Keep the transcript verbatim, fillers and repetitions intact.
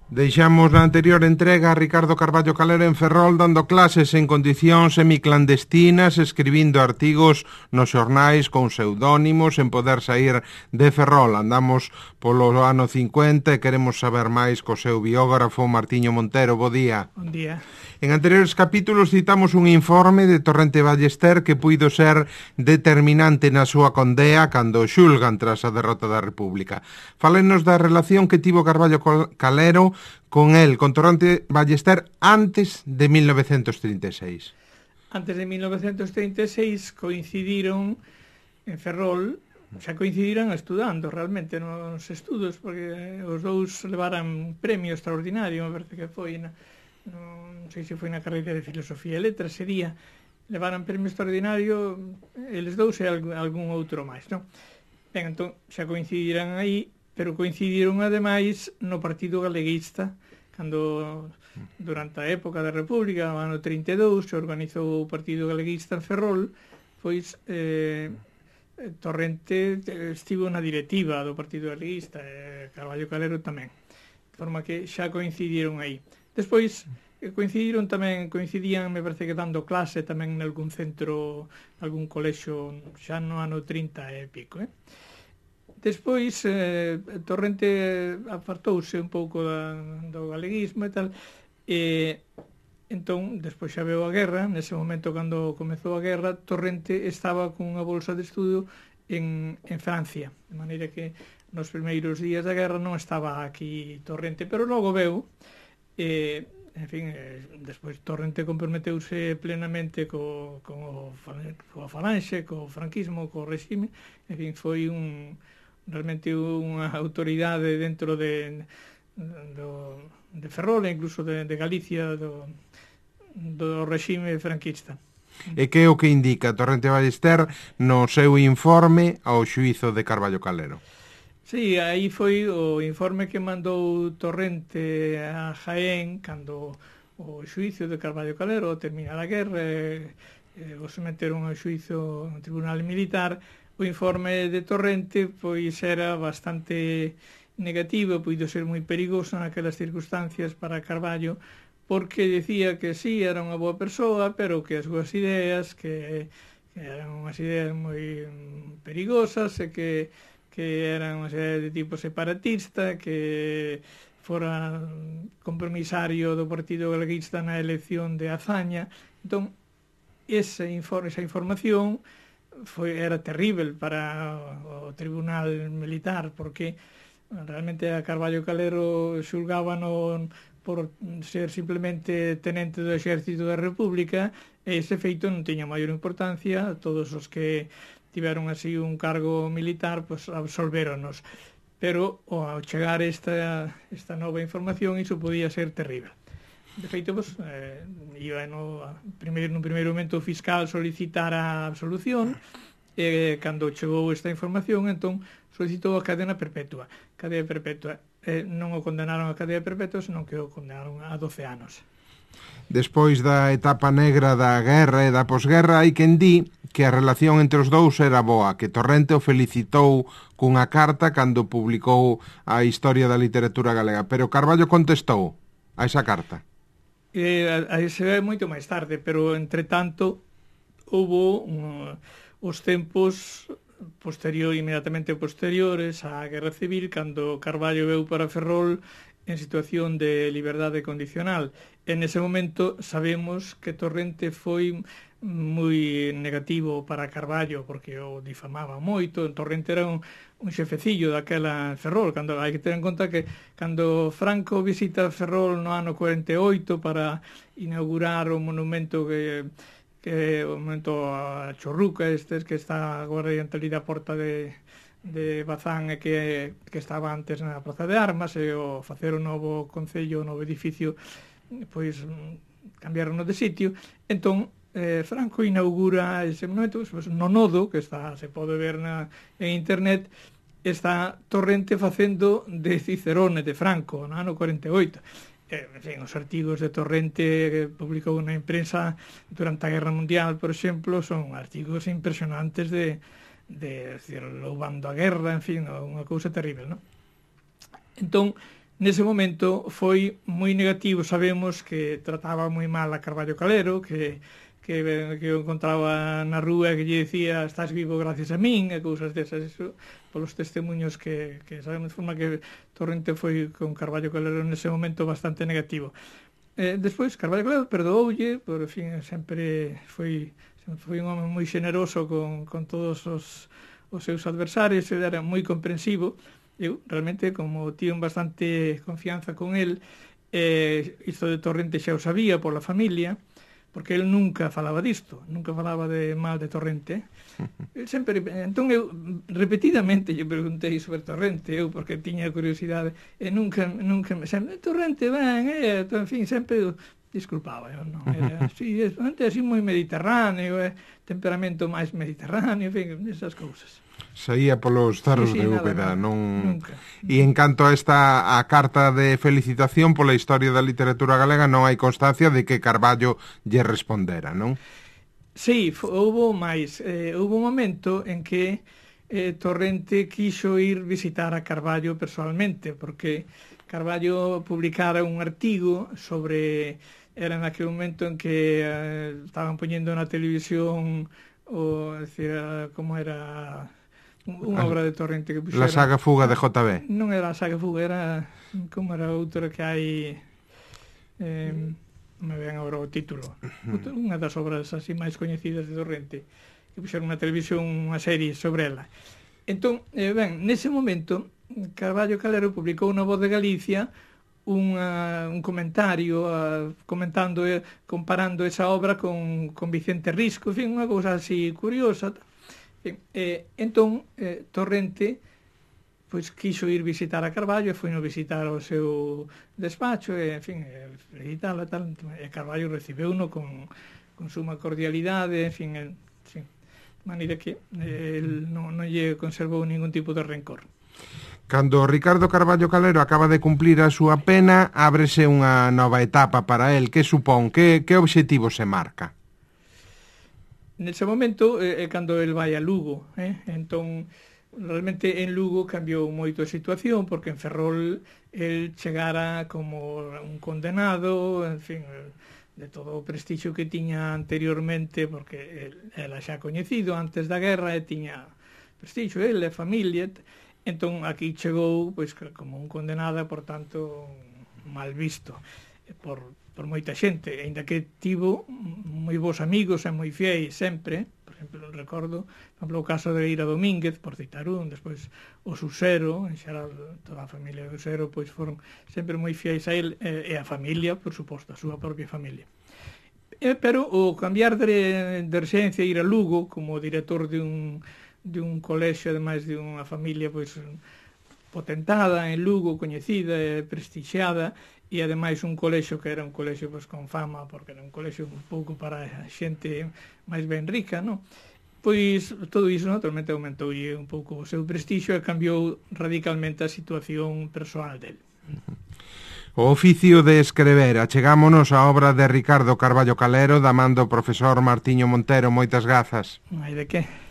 Deixamos na anterior entrega a Ricardo Carballo Calero en Ferrol dando clases en condicións semiclandestinas, escribindo artigos nos xornais con pseudónimos en poder sair de Ferrol. Andamos polo ano cincuenta e queremos saber máis co seu biógrafo Martiño Montero. Bo día. Bon día. En anteriores capítulos citamos un informe de Torrente Ballester que puido ser determinante na súa condea cando xulgan tras a derrota da República. Fálenos da relación que tivo Carballo Calero con el, con Torrente Ballester, antes de mil novecentos trinta e seis. Antes de mil novecentos trinta e seis coincidiron en Ferrol, xa coincidiran estudando realmente nos estudos, porque os dous levaran premio extraordinario, me parece que foi na, non sei se foi na carreira de Filosofía e Letras, sería, levaran premio extraordinario eles dous e algún outro máis, non? Ben, entón, xa coincidiran aí, pero coincidiron ademais no Partido Galeguista, cando durante a época da República, no ano trinta e dous, se organizou o Partido Galeguista en Ferrol, pois eh, Torrente estivo na directiva do Partido Galeguista, e Carballo Calero tamén, de forma que xa coincidiron aí. Despois coincidiron tamén, coincidían, me parece que dando clase tamén en algún centro, algún colexio, xa no ano trinta e pico, eh? Despois, eh, Torrente apartouse un pouco da, do galeguismo e tal, e entón, despois xa veu a guerra, nese momento cando comezou a guerra, Torrente estaba cunha bolsa de estudo en, en Francia, de maneira que nos primeiros días da guerra non estaba aquí Torrente, pero logo veu, e, en fin, eh, despois Torrente comprometeuse plenamente co, co, co falanxe, co franquismo, co regime, en fin, foi un... realmente unha autoridade dentro de, do, de Ferrol e incluso de, de Galicia do, do regime franquista. E que é o que indica Torrente Ballester no seu informe ao xuízo de Carballo Calero? Sí, aí foi o informe que mandou Torrente a Jaén cando o xuízo de Carballo Calero termina a guerra e, e o someteron ao xuízo no tribunal militar. O informe de Torrente pois era bastante negativo, puido ser moi perigoso naquelas circunstancias para Carballo, porque decía que sí, era unha boa persoa, pero que as súas ideas, que, que eran unhas ideas moi perigosas e que, que eran unha serie de tipo separatista, que fora compromisario do Partido Galeguista na elección de Azaña. Entón, esa, informe, esa información foi era terrível para o tribunal militar, porque realmente a Carballo Calero xulgábano por ser simplemente tenente do exército da República, e ese feito non tiña maior importancia. Todos os que tiveron así un cargo militar pues absolvéronos, pero ao chegar esta, esta nova información iso podía ser terrível. De feito, pues, eh, iba no, primeiro, no primeiro momento o fiscal solicitar a absolución, e cando chegou esta información, entón, solicitou a cadena perpetua. Cadena perpetua. Eh, non o condenaron a cadena perpetua, senón que o condenaron a doce anos. Despois da etapa negra da guerra e da posguerra, hai quen di que a relación entre os dous era boa, que Torrente o felicitou cunha carta cando publicou a historia da literatura galega, pero Carballo contestou a esa carta. Eh, a, a se ve moito máis tarde, pero entre tanto houbo um, os tempos posterior, inmediatamente posteriores á Guerra Civil, cando Carballo veu para Ferrol en situación de liberdade condicional. En ese momento sabemos que Torrente foi moi negativo para Carballo, porque o difamaba moito. Torrente era un, un xefecillo daquela Ferrol, cando hai que ter en conta que cando Franco visita Ferrol no ano cuarenta e oito para inaugurar o monumento que, que o monumento a Chorruca, estes que está agora diante ali da porta de, de Bazán, e que, que estaba antes na Praza de Armas, e o facer o novo concello, o novo edificio, pois cambiaron de sitio. Entón eh, Franco inaugura ese monumento, pues, no nodo, que está, se pode ver na, en internet, está Torrente facendo de Cicerone de Franco no ano cuarenta e oito. Eh, en fin, os artigos de Torrente que publicou na imprensa durante a Guerra Mundial, por exemplo, son artigos impresionantes de, de decir, loubando a guerra, en fin, unha cousa terrible, non? Entón, nese momento foi moi negativo. Sabemos que trataba moi mal a Carballo Calero, que que, que eu encontraba na rúa que lle decía estás vivo gracias a min, e cousas desas, eso, polos testemunhos que, que sabemos, de forma que Torrente foi con Carballo Calero nese momento bastante negativo. Eh, despois, Carballo Calero perdoulle, por fin, sempre foi, foi un home moi xeneroso con, con todos os, os seus adversarios, ele era moi comprensivo. Eu, realmente, como tiven bastante confianza con el, eh, isto de Torrente xa o sabía pola familia, porque el nunca falaba disto, nunca falaba de mal de Torrente. El sempre, entón eu repetidamente lle preguntei sobre Torrente, eu porque tiña curiosidade, e nunca, nunca, sempre, Torrente, ben, eh, en fin, sempre disculpaba, eu non era así, é así moi mediterráneo, eh, temperamento máis mediterráneo, en fin, esas cousas. Saía polos zarros sí, sí, de Úbeda, nada, non... Nunca. E en canto a esta a carta de felicitación pola historia da literatura galega, non hai constancia de que Carballo lle respondera, non? Sí, houve máis. Eh, houve un momento en que eh, Torrente quixo ir visitar a Carballo personalmente, porque Carballo publicara un artigo sobre... Era naquele momento en que eh, estaban poñendo na televisión o, decir, como era... unha obra de Torrente que puxera... La saga Fuga de J B. Non era a saga Fuga, era como era outra que hai... Eh, me ven agora o título. Outra, unha das obras así máis coñecidas de Torrente, que puxeron na televisión unha serie sobre ela. Entón, eh, ben, nese momento, Carballo Calero publicou na Voz de Galicia unha, un comentario uh, comentando, eh, comparando esa obra con, con Vicente Risco, en fin, unha cousa así curiosa. Eh, entón, eh, Torrente pois quiso ir visitar a Carballo e foi no visitar o seu despacho e, en fin, felicitalo e tal, e Carballo recibeu-no con, con suma cordialidade, en fin, en, sí, de maneira que eh, el non, non lle conservou ningún tipo de rencor. Cando Ricardo Carballo Calero acaba de cumplir a súa pena, ábrese unha nova etapa para el. Que supón? Que, que obxectivo se marca? Nese momento é eh, cando el vai a Lugo, eh? Entón, realmente en Lugo cambiou moito a situación, porque en Ferrol el chegara como un condenado, en fin, de todo o prestixio que tiña anteriormente, porque el, ela xa coñecido antes da guerra e tiña prestixio, el e familia. Entón aquí chegou pois como un condenado, por tanto mal visto por por moita xente, aínda que tivo moi bons amigos e moi fiéis sempre. Por exemplo, recordo, por exemplo, o caso de Ira Domínguez, por citar un, despois o Susero, en xeral toda a familia do Susero, pois foron sempre moi fiéis a él e a familia, por suposto, a súa propia familia. E, pero o cambiar de, de residencia e ir a Lugo como director de un, de un colexio, ademais de unha familia pois potentada en Lugo, coñecida e prestixiada, e ademais un colexio que era un colexio pois, con fama, porque era un colexio un pouco para a xente máis ben rica, non? Pois todo iso naturalmente aumentoulle un pouco o seu prestixio e cambiou radicalmente a situación persoal del. O oficio de escrever. Achegámonos á obra de Ricardo Carballo Calero da man do profesor Martiño Montero. Moitas grazas. Non hai de que.